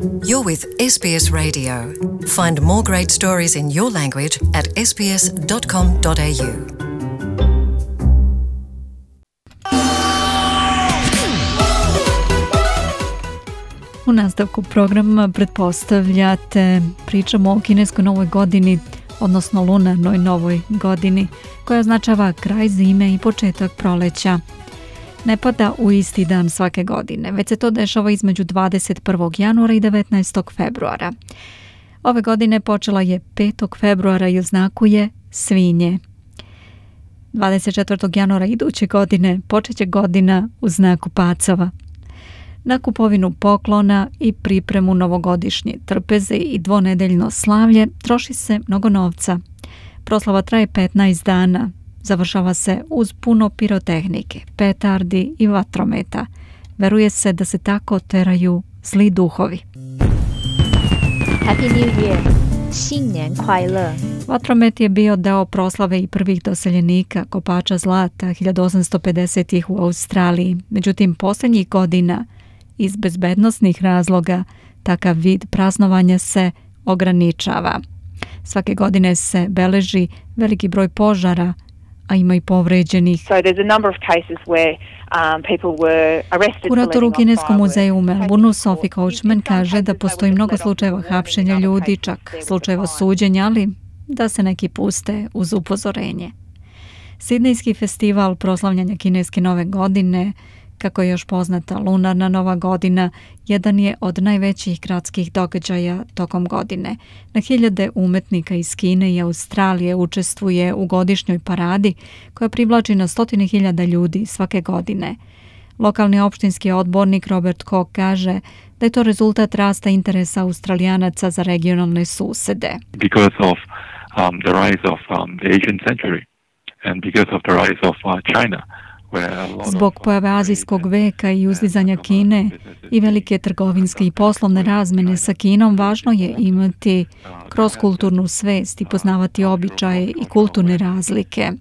You're with SBS Radio. Find more great stories in your language at sbs.com.au. U nastavku programa pretpostavljate pričamo o kineskoj novoj godini, odnosno lunarnoj novoj godini, koja označava kraj zime i početak proleća. Ne pada u isti dan svake godine, već se to dešava između 21. januara i 19. februara. Ove godine počela je 5. februara i oznakuje svinje. 24. januara iduće godine počeće godina u znaku pacova. Na kupovinu poklona i pripremu novogodišnje trpeze i dvonedeljno slavlje troši se mnogo novca. Proslava traje 15 dana. Završava se uz puno pirotehnike, petardi i vatrometa. Veruje se da se tako teraju zli duhovi. Happy New Year! 新年快乐! Vatromet je bio deo proslave i prvih doseljenika, kopača zlata 1850-ih u Australiji. Međutim, posljednjih godina iz bezbednosnih razloga takav vid praznovanja se ograničava. Svake godine se beleži veliki broj požara, a ima i povređenih. Kurator u Kineskom muzeju u Melbourneu Sophie Coachman kaže da postoji mnogo slučajeva hapšenja ljudi, čak slučajeva suđenja, ali da se neki puste uz upozorenje. Sidnejski festival proslavljanja kineske nove godine, kako je još poznata lunarna nova godina, jedan je od najvećih gradskih događaja tokom godine. Na hiljade umetnika iz Kine i Australije učestvuje u godišnjoj paradi koja privlači na 100.000 ljudi svake godine. Lokalni opštinski odbornik Robert Koch kaže da je to rezultat rasta interesa Australijanaca za regionalne susede. Because of the rise of the Asian century and because of the rise of China. Zbog pojave azijskog veka i uzdizanja Kine i velike trgovinske i poslovne razmene sa Kinom, važno je imati kroz kulturnu svest i poznavati običaje i kulturne razlike.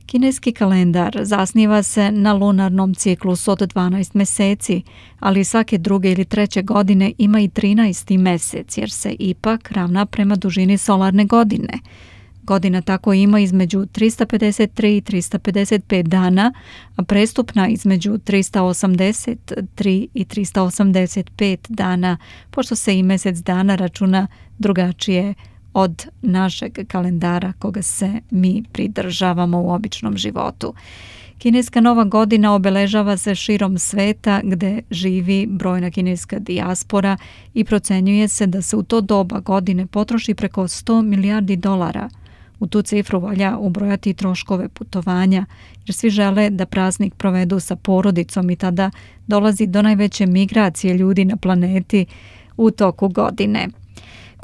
Kineski kalendar zasniva se na lunarnom ciklusu od 12 meseci, ali svake druge ili treće godine ima i 13. mesec, jer se ipak ravna prema dužini solarne godine. Godina tako ima između 353 i 355 dana, a prestupna između 383 i 385 dana, pošto se i mjesec dana računa drugačije od našeg kalendara koga se mi pridržavamo u običnom životu. Kineska nova godina obeležava se širom sveta gde živi brojna kineska dijaspora i procenjuje se da se u to doba godine potroši preko $100 milijardi. U tu cifru valja ubrojati troškove putovanja, jer svi žele da praznik provedu sa porodicom i tada dolazi do najveće migracije ljudi na planeti u toku godine.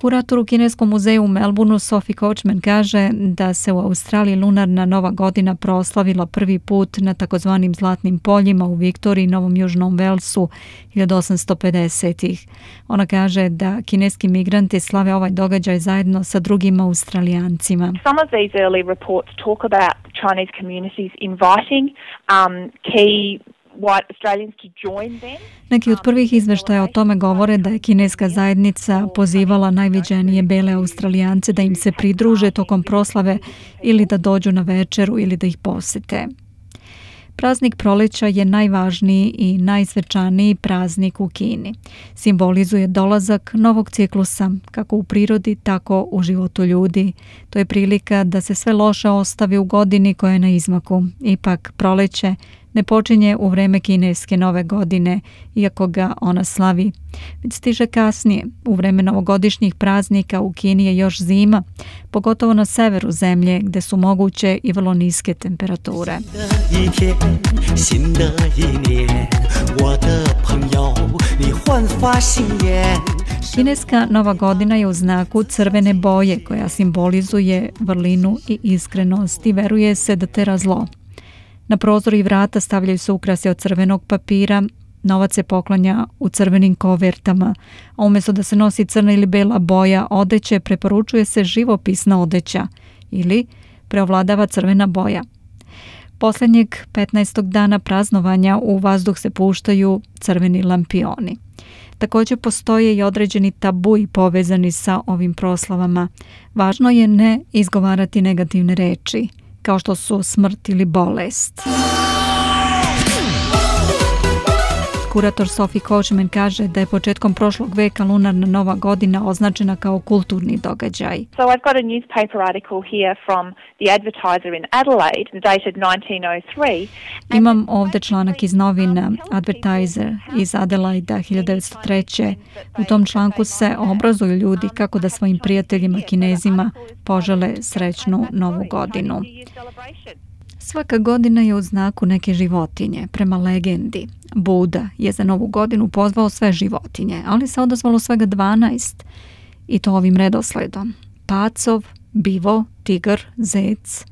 Kurator u Kineskom muzeju u Melbourneu Sophie Coachman kaže da se u Australiji lunarna nova godina proslavila prvi put na takozvanim zlatnim poljima u Viktoriji i Novom Južnom Velsu 1850-ih. Ona kaže da kineski migranti slave ovaj događaj zajedno sa drugim Australijancima. Some of these early reports talk about Chinese communities inviting key white Australians to join them. Neki od prvih izveštaja o tome govore da je kineska zajednica pozivala najviđenije bele Australijance da im se pridruže tokom proslave ili da dođu na večeru ili da ih posete. Praznik proleća je najvažniji i najsvečaniji praznik u Kini. Simbolizuje dolazak novog ciklusa, kako u prirodi, tako u životu ljudi. To je prilika da se sve loše ostavi u godini koja je na izmaku. Ipak proleće ne počinje u vreme kineske nove godine, iako ga ona slavi, već stiže kasnije. U vreme novogodišnjih praznika u Kini je još zima, pogotovo na severu zemlje gde su moguće i vrlo niske temperature. Kineska nova godina je u znaku crvene boje koja simbolizuje vrlinu i iskrenost i veruje se da tera zlo. Na prozor i vrata stavljaju se ukrasi od crvenog papira, novac se poklanja u crvenim kovertama, a umjesto da se nosi crna ili bela boja odeće, preporučuje se živopisna odeća ili preovladava crvena boja. Posljednjeg 15. dana praznovanja u vazduh se puštaju crveni lampioni. Također postoje i određeni tabuji povezani sa ovim proslavama. Važno je ne izgovarati negativne reči, kao što su smrt ili bolest. Kurator Sophie Coachman kaže da je početkom prošlog veka lunarna nova godina označena kao kulturni događaj. So I've got a newspaper article here from The Advertiser in Adelaide, dated 1903. Imam ovdje članak iz novina Advertiser iz Adelaida 1903. U tom članku se obrazuju ljudi kako da svojim prijateljima Kinezima požele srećnu novu godinu. Svaka godina je u znaku neke životinje. Prema legendi, Buda je za novu godinu pozvao sve životinje, ali se odazvalo svega 12. I to ovim redosledom. Pacov, bivo, tigar, zec,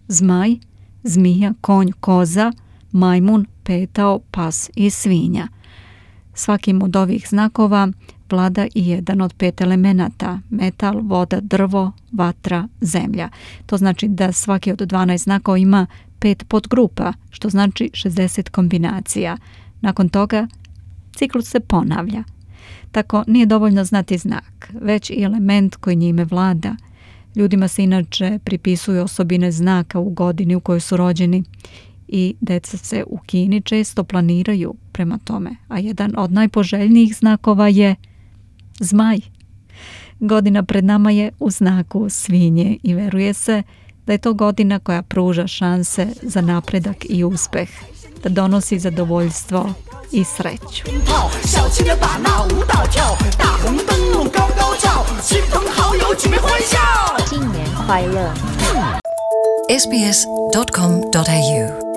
zmaj, zmija, konj, koza, majmun, petao, pas i svinja. Svakim od ovih znakova vlada i jedan od 5 elemenata: metal, voda, drvo, vatra, zemlja. To znači da svaki od 12 znakova ima 5 podgrupa, što znači 60 kombinacija. Nakon toga ciklus se ponavlja. Tako nije dovoljno znati znak, već i element koji njime vlada. Ljudima se inače pripisuju osobine znaka u godini u kojoj su rođeni i deca se u Kini često planiraju prema tome, a jedan od najpoželjnijih znakova je zmaj. Godina pred nama je u znaku svinje i veruje se da je to godina koja pruža šanse za napredak i uspeh, da donosi zadovoljstvo i sreću.新年快乐。sbs.com.au